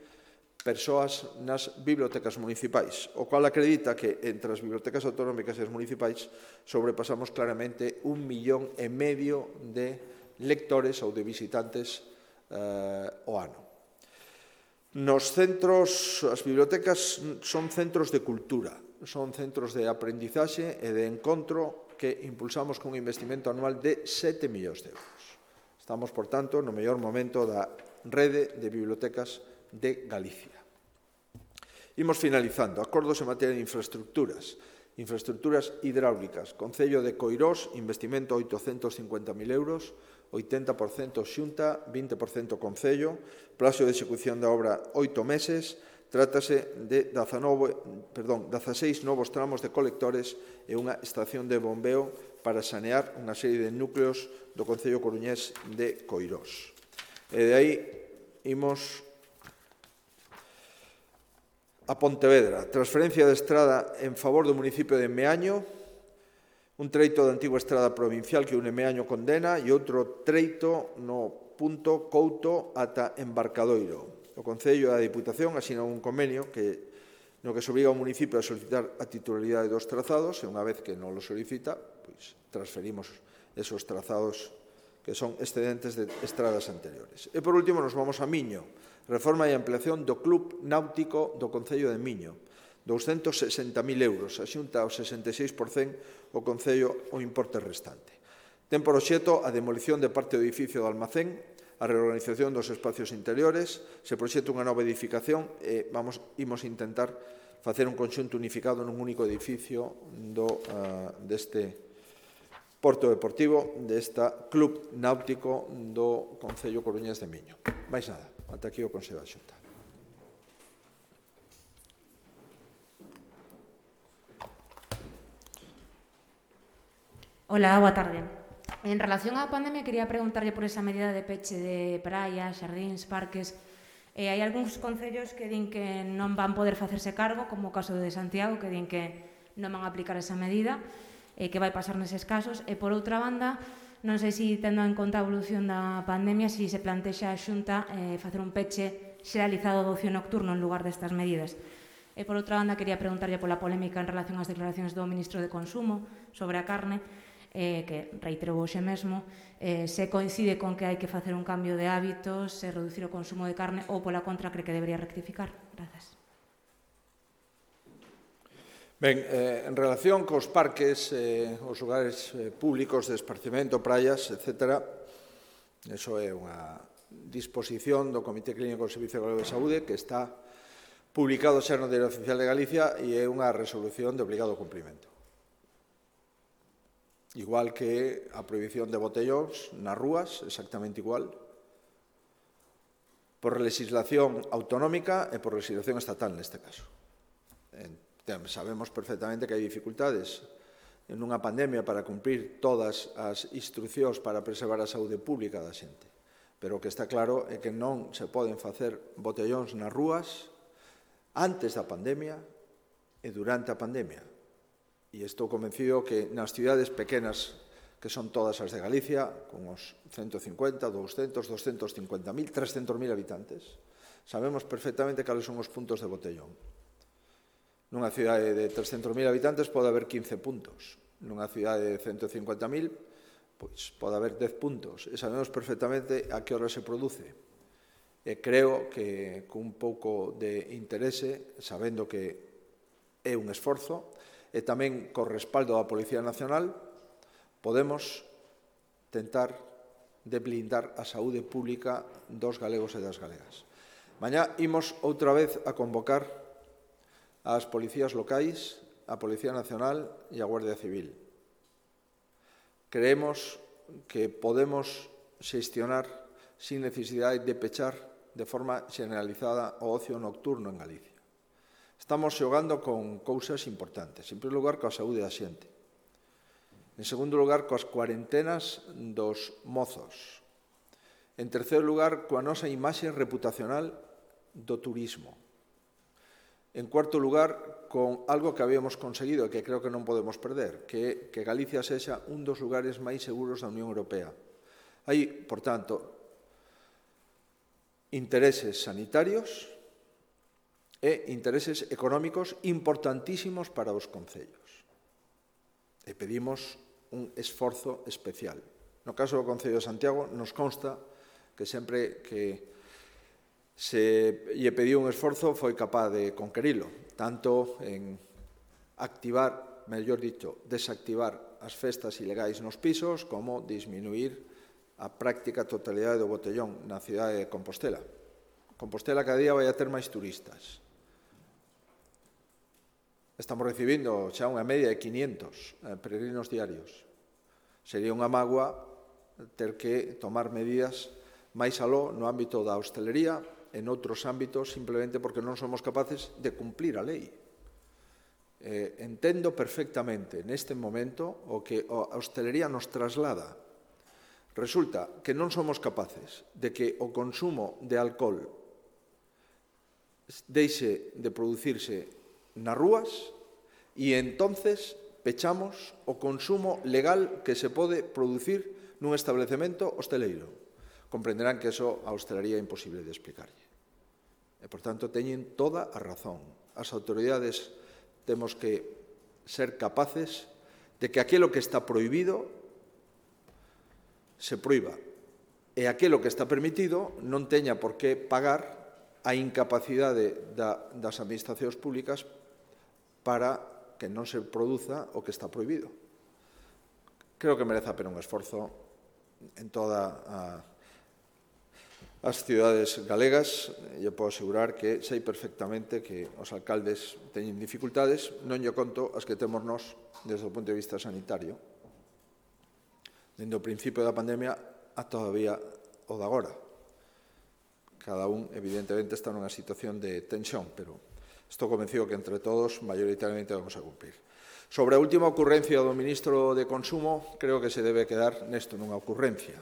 persoas nas bibliotecas municipais, o cual acredita que entre as bibliotecas autonómicas e as municipais sobrepasamos claramente un millón e medio de lectores ou de visitantes eh, o ano. Nos centros, as bibliotecas son centros de cultura, son centros de aprendizaxe e de encontro que impulsamos con un investimento anual de sete millóns de euros. Estamos, por tanto, no mellor momento da rede de bibliotecas de Galicia. Imos finalizando. Acordos en materia de infraestructuras. Infraestructuras hidráulicas. Concello de Coirós, investimento oitocentos cincuenta mil euros, oitenta por cento Xunta, vinte por cento Concello, plazo de execución da obra oito meses. Trátase de dezaseis novos tramos de colectores e unha estación de bombeo para sanear unha serie de núcleos do Concello coruñés de Coirós. E de aí imos a Pontevedra. Transferencia de estrada en favor do municipio de Meaño, un treito da antigua estrada provincial que une Meaño con Dena e outro treito no punto Couto ata Embarcadoiro. O Concello e a Diputación asinan un convenio que, no que se obriga ao municipio a solicitar a titularidade dos trazados e unha vez que non lo solicita, pois transferimos esos trazados que son excedentes de estradas anteriores. E, por último, nos vamos a Miño. Reforma e ampliación do Club Náutico do Concello de Miño. doscientos sesenta mil euros. A Xunta ao sesenta e seis por cento, o Concello o importe restante. Ten por obxecto a demolición de parte do edificio do almacén, a reorganización dos espacios interiores, se proxecta unha nova edificación e vamos, imos intentar facer un conxunto unificado nun único edificio do, uh, deste porto deportivo, desta club náutico do Concello coruñés de Miño. Mais nada, ata aquí o Consello da Xunta. Hola, boa tarde. En relación á pandemia, quería preguntarlle por esa medida de peche de praias, xardíns, parques. Eh, hai algúns concellos que din que non van poder facerse cargo, como o caso de Santiago, que din que non van a aplicar esa medida, e eh, que vai pasar neses casos. E, por outra banda, non sei se, tendo en conta a evolución da pandemia, se se plantexa a Xunta eh, facer un peche xeralizado do ocio nocturno en lugar destas medidas. E, por outra banda, quería preguntarlle pola polémica en relación ás declaracións do Ministro de Consumo sobre a carne, eh, que reiterou hoxe mesmo, eh, se coincide con que hai que facer un cambio de hábitos, se reducir o consumo de carne ou pola contra cree que debería rectificar. Grazas. Ben, eh, en relación cos parques, eh, os lugares eh, públicos de esparcimento, praias, etcétera, eso é unha disposición do Comité Clínico do Servicio Galego de Saúde que está publicado xa no Diario Oficial de Galicia e é unha resolución de obligado cumprimento. Igual que a prohibición de botellóns nas rúas, exactamente igual, por legislación autonómica e por legislación estatal neste caso. Sabemos perfectamente que hai dificultades en unha pandemia para cumprir todas as instruccións para preservar a saúde pública da xente, pero o que está claro é que non se poden facer botellóns nas rúas antes da pandemia e durante a pandemia. E estou convencido que nas cidades pequenas, que son todas as de Galicia, con os ciento cincuenta, doscientos, doscientos cincuenta mil, trescentos mil habitantes, sabemos perfectamente cales son os puntos de botellón. Nunha cidade de trescentos mil habitantes pode haber quince puntos. Nunha cidade de ciento cincuenta mil pois pode haber dez puntos e sabemos perfectamente a que hora se produce. E creo que cun pouco de interese, sabendo que é un esforzo, e tamén co respaldo da Policía Nacional, podemos tentar de blindar a saúde pública dos galegos e das galegas. Mañá imos outra vez a convocar ás policías locais, a Policía Nacional e a Guardia Civil. Creemos que podemos xestionar sin necesidade de pechar de forma generalizada o ocio nocturno en Galicia. Estamos xogando con cousas importantes. En primeiro lugar, coa saúde da xente. En segundo lugar, coas cuarentenas dos mozos. En terceiro lugar, coa nosa imaxe reputacional do turismo. En cuarto lugar, con algo que habíamos conseguido e que creo que non podemos perder, que é que Galicia sexa un dos lugares máis seguros da Unión Europea. Hai, por tanto, intereses sanitarios e intereses económicos importantísimos para os concellos. E pedimos un esforzo especial. No caso do Concello de Santiago, nos consta que sempre que se lle pediu un esforzo foi capaz de conquerilo, tanto en activar, mellor dito, desactivar as festas ilegais nos pisos, como disminuir a práctica totalidade do botellón na cidade de Compostela. Compostela cada día vai a ter máis turistas. Estamos recibindo xa unha media de quinientos peregrinos diarios. Sería unha mágoa ter que tomar medidas máis aló no ámbito da hostelería, en outros ámbitos, simplemente porque non somos capaces de cumplir a lei. Eh, entendo perfectamente neste momento o que a hostelería nos traslada. Resulta que non somos capaces de que o consumo de alcohol deixe de producirse nas rúas e entonces pechamos o consumo legal que se pode producir nun establecemento hosteleiro. Comprenderán que eso a hostelería é imposible de explicarlle. E, por tanto, teñen toda a razón. As autoridades temos que ser capaces de que aquilo que está prohibido se proíba e aquilo que está permitido non teña por que pagar a incapacidade das administracións públicas para que non se produza o que está prohibido. Creo que merece a pena un esforzo en toda a as cidades galegas. Eu podo asegurar que sei perfectamente que os alcaldes teñen dificultades, non lle conto as que temos nós desde o punto de vista sanitario. Dende o principio da pandemia a todavía o de agora. Cada un, evidentemente, está nunha situación de tensión, pero estou convencido que entre todos, maioritariamente, vamos a cumprir. Sobre a última ocurrencia do ministro de Consumo, creo que se debe quedar nesto, nunha ocurrencia.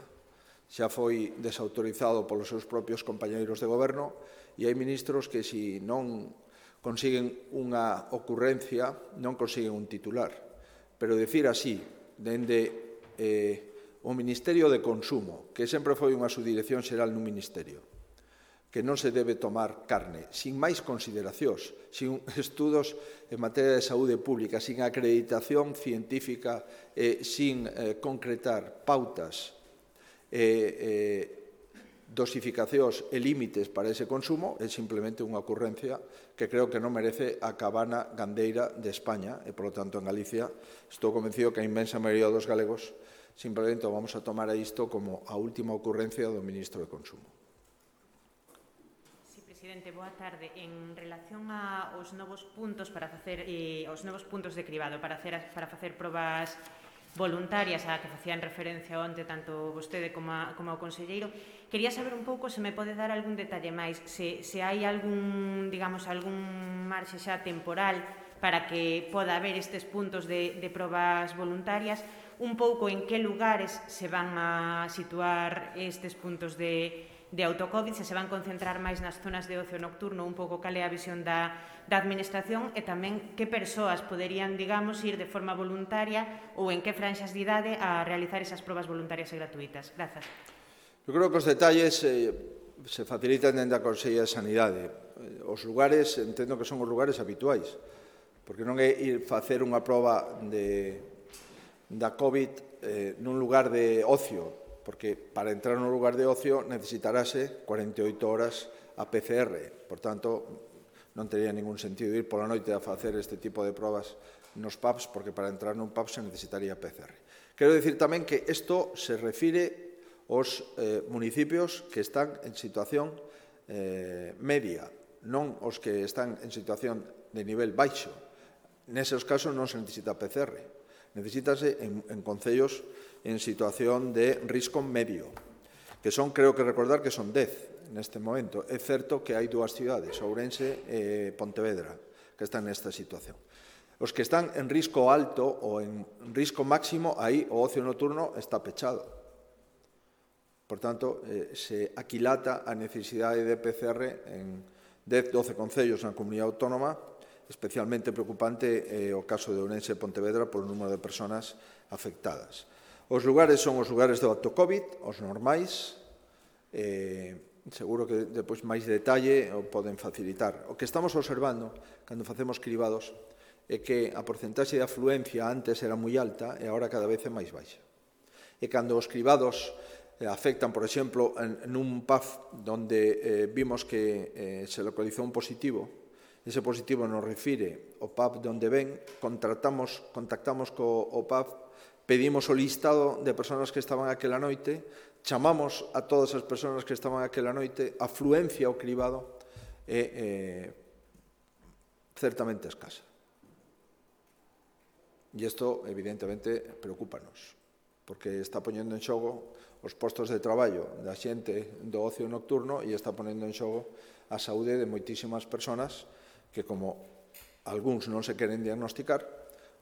Xa foi desautorizado polos seus propios compañeiros de goberno e hai ministros que, se non consiguen unha ocurrencia, non consiguen un titular. Pero dicir así, dende eh, o Ministerio de Consumo, que sempre foi unha subdirección xeral nun ministerio, que non se debe tomar carne, sin máis consideracións, sin estudos en materia de saúde pública, sin acreditación científica, eh, sin eh, concretar pautas e eh, dosificacións e límites para ese consumo, é simplemente unha ocurrencia que creo que non merece a cabana gandeira de España e, polo tanto, en Galicia estou convencido que a inmensa maioría dos galegos simplemente vamos a tomar a isto como a última ocurrencia do ministro de Consumo. Sí, presidente, boa tarde. En relación aos novos puntos para facer eh, os novos puntos de cribado para facer para facer probas voluntarias a que facían referencia onte tanto vostede como, a, como o conselleiro, quería saber un pouco se me pode dar algún detalle máis, se, se hai algún, digamos, algún marxe xa temporal para que poda haber estes puntos de, de probas voluntarias, un pouco en que lugares se van a situar estes puntos de, de autocovid, se se van concentrar máis nas zonas de ocio nocturno, un pouco cal é a visión da, da administración e tamén que persoas poderían, digamos, ir de forma voluntaria ou en que franxas de idade a realizar esas probas voluntarias e gratuitas. Grazas. Eu creo que os detalles eh, se facilitan dentro da Consellería de Sanidade. Os lugares, entendo que son os lugares habituais, porque non é ir facer unha proba de, da COVID eh, nun lugar de ocio, porque para entrar nun lugar de ocio necesitarase cuarenta e oito horas a P C R. Por tanto, non teria ningún sentido ir pola noite a facer este tipo de probas nos pubs, porque para entrar nun pub se necesitaría P C R. Quero dicir tamén que isto se refire aos eh, municipios que están en situación eh, media, non os que están en situación de nivel baixo. Neses casos non se necesita P C R. Necesítase en, en concellos en situación de risco medio, que son, creo que recordar que son dez neste momento. É certo que hai dúas cidades, Ourense e Pontevedra, que están nesta situación. Os que están en risco alto ou en risco máximo, aí o ocio nocturno está pechado. Por tanto, eh, se aquilata a necesidade de P C R en dez, doce concellos na comunidade autónoma. Especialmente preocupante é eh, o caso de Ourense e Pontevedra por o número de persoas afectadas. Os lugares son os lugares do acto COVID, os normais. Eh, seguro que depois máis detalle o poden facilitar. O que estamos observando cando facemos cribados é que a porcentaxe de afluencia antes era moi alta e agora cada vez é máis baixa. E cando os cribados eh, afectan, por exemplo, en, en un pub onde eh, vimos que eh, se localizou un positivo, ese positivo nos refire ao pub de onde ven, contratamos, contactamos co o pub, pedimos o listado de persoas que estaban aquela noite, chamamos a todas as persoas que estaban aquela noite, a afluencia ao cribado é eh, certamente escasa. E isto, evidentemente, preocúpanos, porque está poñendo en xogo os postos de traballo da xente do ocio nocturno e está ponendo en xogo a saúde de moitísimas persoas que, como algúns non se queren diagnosticar,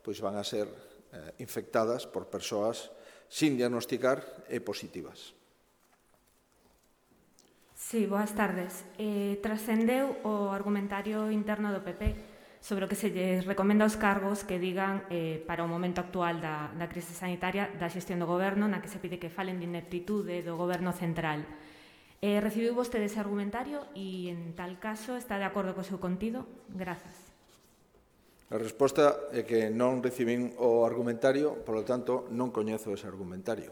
pois van a ser eh, infectadas por persoas sin diagnosticar e positivas. Sí, boas tardes. Eh, trascendeu o argumentario interno do P P sobre o que se lles recomenda aos cargos que digan eh, para o momento actual da, da crise sanitaria da xestión do goberno, na que se pide que falen de ineptitude do goberno central. Eh, recibiu vostede ese argumentario e, en tal caso, está de acordo co seu contido? Grazas. A resposta é que non recibín o argumentario, por lo tanto, non coñezo ese argumentario.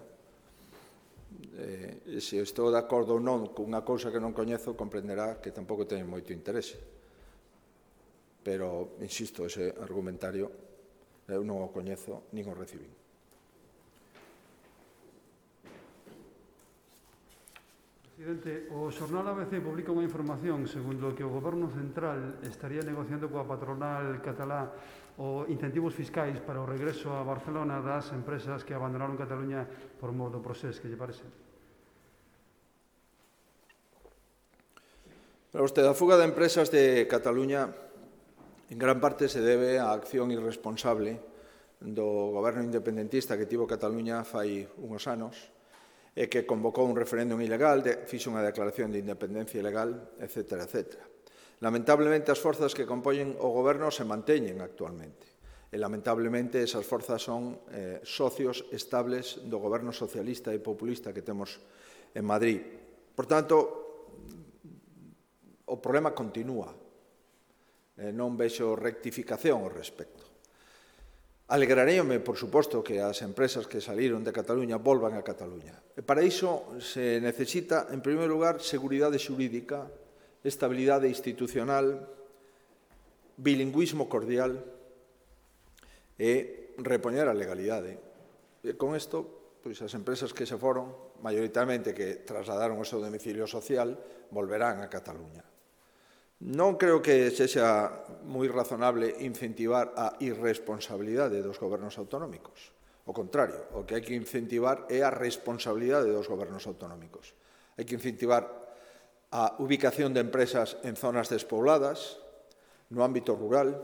Eh, se estou de acordo ou non con unha cousa que non coñezo, comprenderá que tampouco teño moito interese. Pero, insisto, ese argumentario eu non o coñezo, nin o recibín. Presidente, o xornal A B C publica unha información segundo que o Goberno Central estaría negociando coa patronal catalá o incentivos fiscais para o regreso a Barcelona das empresas que abandonaron Cataluña por mor do procés. Que lle parece? Para vostede, a fuga de empresas de Cataluña en gran parte se debe á acción irresponsable do goberno independentista que tivo Cataluña fai unhos anos, e que convocou un referéndum ilegal, de, fixo unha declaración de independencia ilegal, etcétera, etcétera. Lamentablemente, as forzas que compoñen o goberno se manteñen actualmente. E, lamentablemente, esas forzas son eh, socios estables do goberno socialista e populista que temos en Madrid. Por tanto, o problema continúa. Eh, non vexo rectificación ao respecto. Alegraríame, por suposto, que as empresas que saliron de Cataluña volvan a Cataluña. E para iso se necesita, en primeiro lugar, seguridade xurídica, estabilidade institucional, bilingüismo cordial e repoñer a legalidade. E con isto, pois as empresas que se foron, maioritariamente que trasladaron o seu domicilio social, volverán a Cataluña. Non creo que sexa moi razonable incentivar a irresponsabilidade dos gobernos autonómicos. O contrario, o que hai que incentivar é a responsabilidade dos gobernos autonómicos. Hai que incentivar a ubicación de empresas en zonas despobladas, no ámbito rural,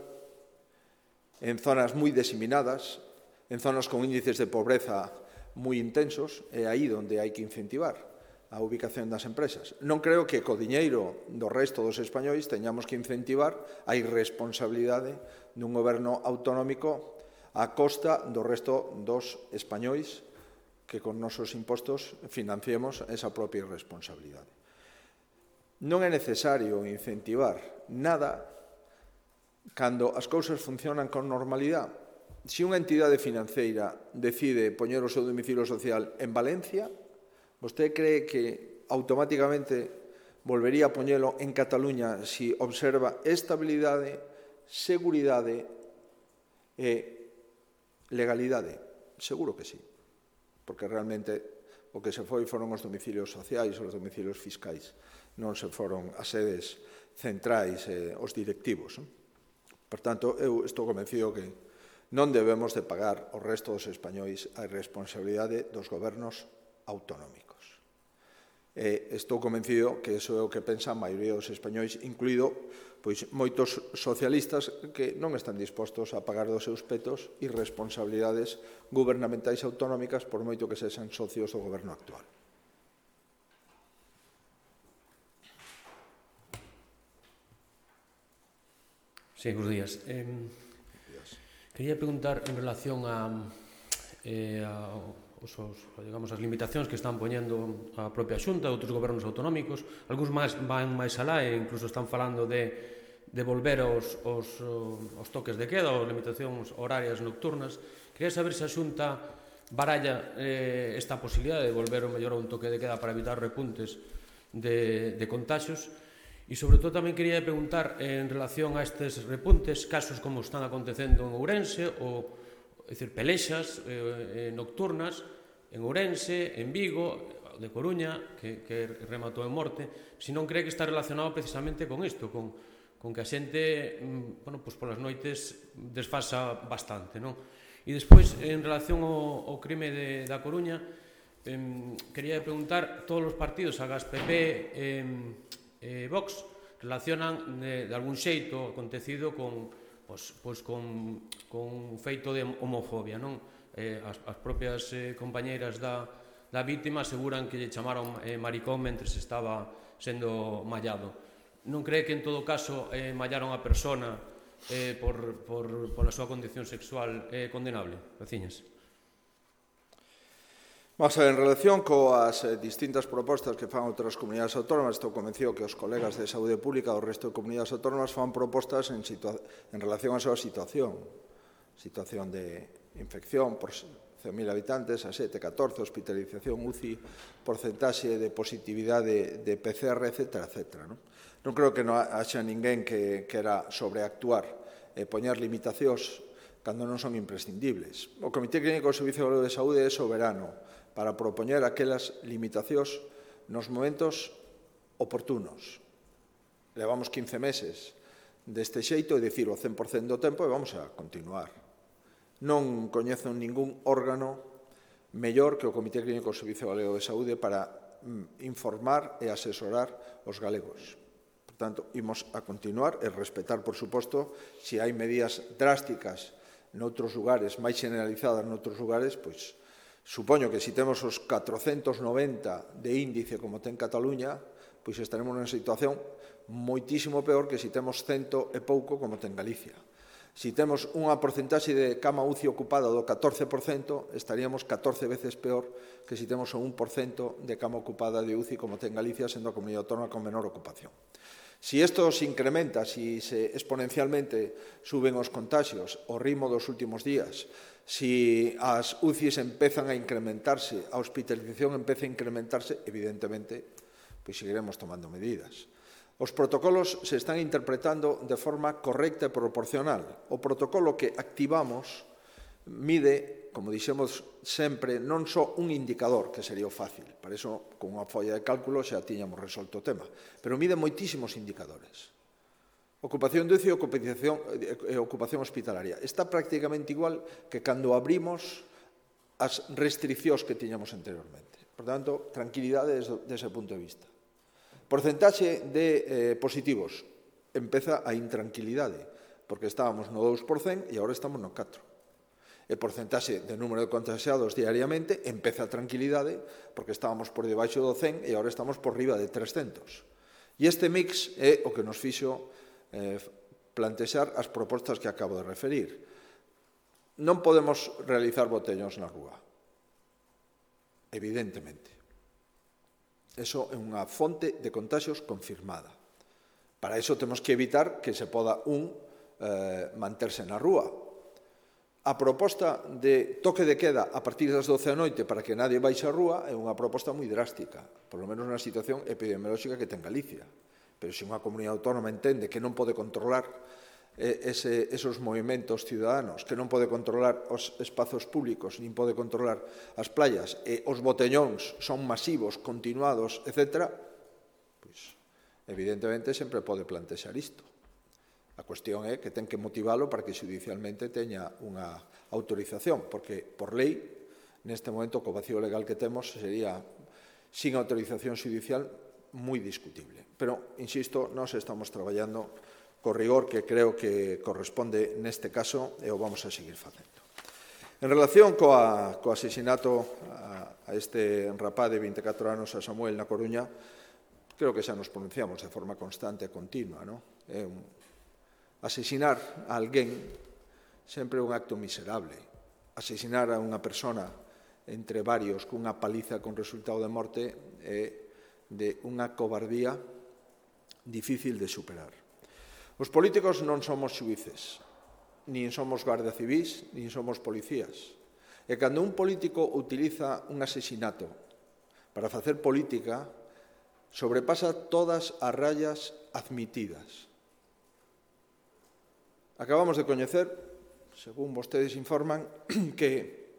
en zonas moi diseminadas, en zonas con índices de pobreza moi intensos, é aí onde hai que incentivar a ubicación das empresas. Non creo que co diñeiro do resto dos españois teñamos que incentivar a irresponsabilidade dun goberno autonómico a costa do resto dos españois que con nosos impostos financiemos esa propia irresponsabilidade. Non é necesario incentivar nada cando as cousas funcionan con normalidade. se unha entidade financeira decide poñer o seu domicilio social en Valencia, vostede cree que automáticamente volvería a poñelo en Cataluña se observa estabilidade, seguridade e legalidade? Seguro que sí, porque realmente o que se foi foron os domicilios sociais, os domicilios fiscais, non se foron as sedes centrais e os directivos. Por tanto, eu estou convencido que non debemos de pagar o resto dos españois a responsabilidade dos gobernos autonómicos. E estou convencido que iso é o que pensa a maioría dos españois, incluído pois, moitos socialistas que non están dispostos a pagar dos seus petos irresponsabilidades gubernamentais autonómicas por moito que sexan socios do goberno actual. Sí, bons días. Eh, quería preguntar en relación a, eh, a os, os, digamos, as limitacións que están poñendo a propia Xunta, outros gobernos autonómicos. Algúns máis van máis alá e incluso están falando de, de volver aos, aos, aos toques de queda, ou limitacións horarias nocturnas. Quería saber se a Xunta baralla eh, esta posibilidade de volver o mellor a un toque de queda para evitar repuntes de, de contagios. E, sobre todo, tamén quería preguntar en relación a estes repuntes, casos como están acontecendo en Ourense, ou, é dicir, pelexas eh, nocturnas en Ourense, en Vigo, de Coruña, que, que rematou en morte, se non cree que está relacionado precisamente con isto, con, con que a xente, bueno, pues, polas noites desfasa bastante, non? E despois, en relación ao, ao crime de, da Coruña, eh, quería preguntar, todos os partidos, Agas, P P, eh, Eh, Vox, relacionan de, de algún xeito acontecido con, pues, pues con, con feito de homofobia, non? Eh, as, as propias eh, compañeiras da, da víctima aseguran que lle chamaron eh, maricón mentre se estaba sendo mallado. Non cree que en todo caso eh, mallaron a persona eh, por, por, por a súa condición sexual eh, condenable? Graciñas. Vamos a ver, en relación coas distintas propostas que fan outras comunidades autónomas, estou convencido que os colegas de Saúde Pública do resto de comunidades autónomas fan propostas en, en relación á súa situación. Situación de infección por cen mil habitantes, a sete, catorce, hospitalización, U C I, porcentaxe de positividade de P C R, etcétera, etcétera. Non, non creo que non haxa ninguén que quera sobreactuar e poñer limitacións cando non son imprescindibles. O Comité Clínico do Servicio de Saúde é soberano para propoñer aquelas limitacións nos momentos oportunos. Levamos quince meses deste xeito, é dicir, o cen por cento do tempo, e vamos a continuar. Non coñezo ningún órgano mellor que o Comité Clínico do Servicio Galego de Saúde para informar e asesorar os galegos. Por tanto, imos a continuar e respetar, por suposto, se hai medidas drásticas noutros lugares, máis generalizadas noutros lugares, pois, supoño que se temos os catrocentos noventa de índice como ten Cataluña, pois estaremos nunha situación moitísimo peor que se temos cento e pouco como ten Galicia. Se temos unha porcentaxe de cama U C I ocupada do catorce por cento, estaríamos catorce veces peor que se temos o un por cento de cama ocupada de U C I como ten Galicia, sendo a comunidade autónoma con menor ocupación. Si isto se incrementa, si se exponencialmente suben os contagios, o ritmo dos últimos días, si as U C Is empezan a incrementarse, a hospitalización empeza a incrementarse, evidentemente, pois seguiremos tomando medidas. Os protocolos se están interpretando de forma correcta e proporcional. O protocolo que activamos mide, como dixemos sempre, non só un indicador, que sería o fácil. Para iso, con unha folla de cálculo, xa tiñamos resolto o tema. Pero mide moitísimos indicadores. Ocupación de U C I e ocupación, e ocupación hospitalaria. Está prácticamente igual que cando abrimos as restriccións que tiñamos anteriormente. Por tanto, tranquilidade desde, desde ese punto de vista. Porcentaxe de eh, positivos. Empeza a intranquilidade, porque estábamos no dous por cento e agora estamos no catro por cento. E porcentaxe de número de contagiados diariamente, empeza a tranquilidade, porque estábamos por debaixo do cen e agora estamos por riba de trescentos. E este mix é o que nos fixo eh, plantexar as propostas que acabo de referir. Non podemos realizar botellóns na rúa, evidentemente. Eso é unha fonte de contagios confirmada. Para iso temos que evitar que se poda un eh, manterse na rúa. A proposta de toque de queda a partir das doce da noite para que nadie baixe á rúa é unha proposta moi drástica, por lo menos na situación epidemiolóxica que ten Galicia. Pero se unha comunidade autónoma entende que non pode controlar ese, esos movimentos ciudadanos, que non pode controlar os espazos públicos, nin pode controlar as playas, e os botellóns son masivos, continuados, etcétera, pois, evidentemente, sempre pode plantexar isto. A cuestión é que ten que motivalo para que judicialmente teña unha autorización, porque, por lei, neste momento, co vacío legal que temos, sería, sin autorización judicial, moi discutible. Pero, insisto, nós estamos traballando co rigor que creo que corresponde neste caso e o vamos a seguir facendo. En relación coa, co asesinato a, a este rapaz de vinte e catro anos a Samuel na Coruña, creo que xa nos pronunciamos de forma constante e continua, non? É un Asesinar a alguén sempre é un acto miserable. Asesinar a unha persona entre varios cunha paliza con resultado de morte é de unha cobardía difícil de superar. Os políticos non somos xuíces, nin somos garda civís, nin somos policías. E cando un político utiliza un asesinato para facer política, sobrepasa todas as rayas admitidas. Acabamos de coñecer, según vostedes informan, que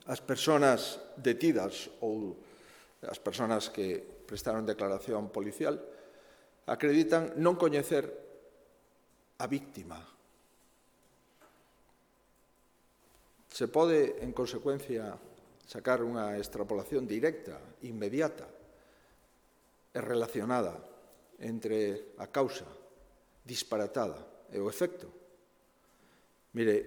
as persoas detidas ou as persoas que prestaron declaración policial acreditan non coñecer a víctima. Se pode, en consecuencia, sacar unha extrapolación directa, inmediata e relacionada entre a causa disparatada e o efecto. Mire,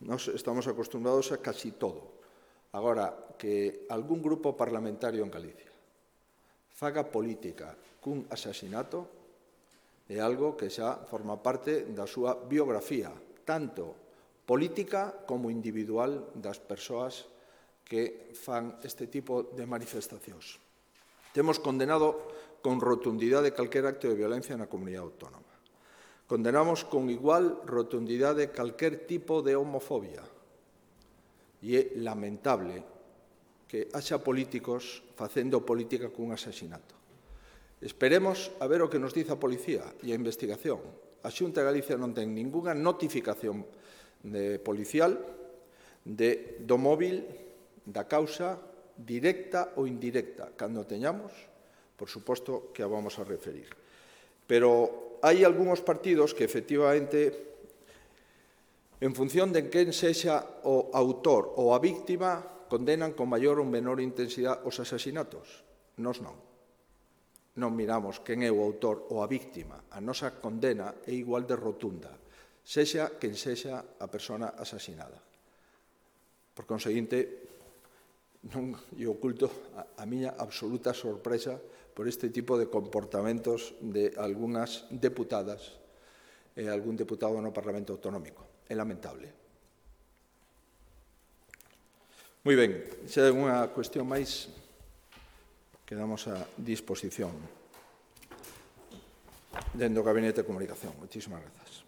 nós estamos acostumbrados a casi todo. Agora, que algún grupo parlamentario en Galicia faga política cun asasinato é algo que xa forma parte da súa biografía, tanto política como individual das persoas que fan este tipo de manifestacións. Temos condenado con rotundidade calquer acto de violencia na comunidade autónoma. Condenamos con igual rotundidade calquer tipo de homofobia. E é lamentable que haxa políticos facendo política cun asasinato. Esperemos a ver o que nos dice a policía e a investigación. A Xunta de Galicia non ten ningunha notificación de policial de, do móvil da causa directa ou indirecta. Cando teñamos, por suposto que a vamos a referir. Pero hai algúns partidos que, efectivamente, en función de quen sexa o autor ou a víctima, condenan con maior ou menor intensidade os asasinatos. Nós non. Non miramos quen é o autor ou a víctima. A nosa condena é igual de rotunda, sexa quen sexa a persona asasinada. Por conseguinte, non lle oculto a, a miña absoluta sorpresa por este tipo de comportamentos de algunhas deputadas e algún deputado no Parlamento Autonómico. É lamentable. Moi ben, se hai unha cuestión máis, quedamos a disposición dentro do Gabinete de Comunicación. Moitísimas grazas.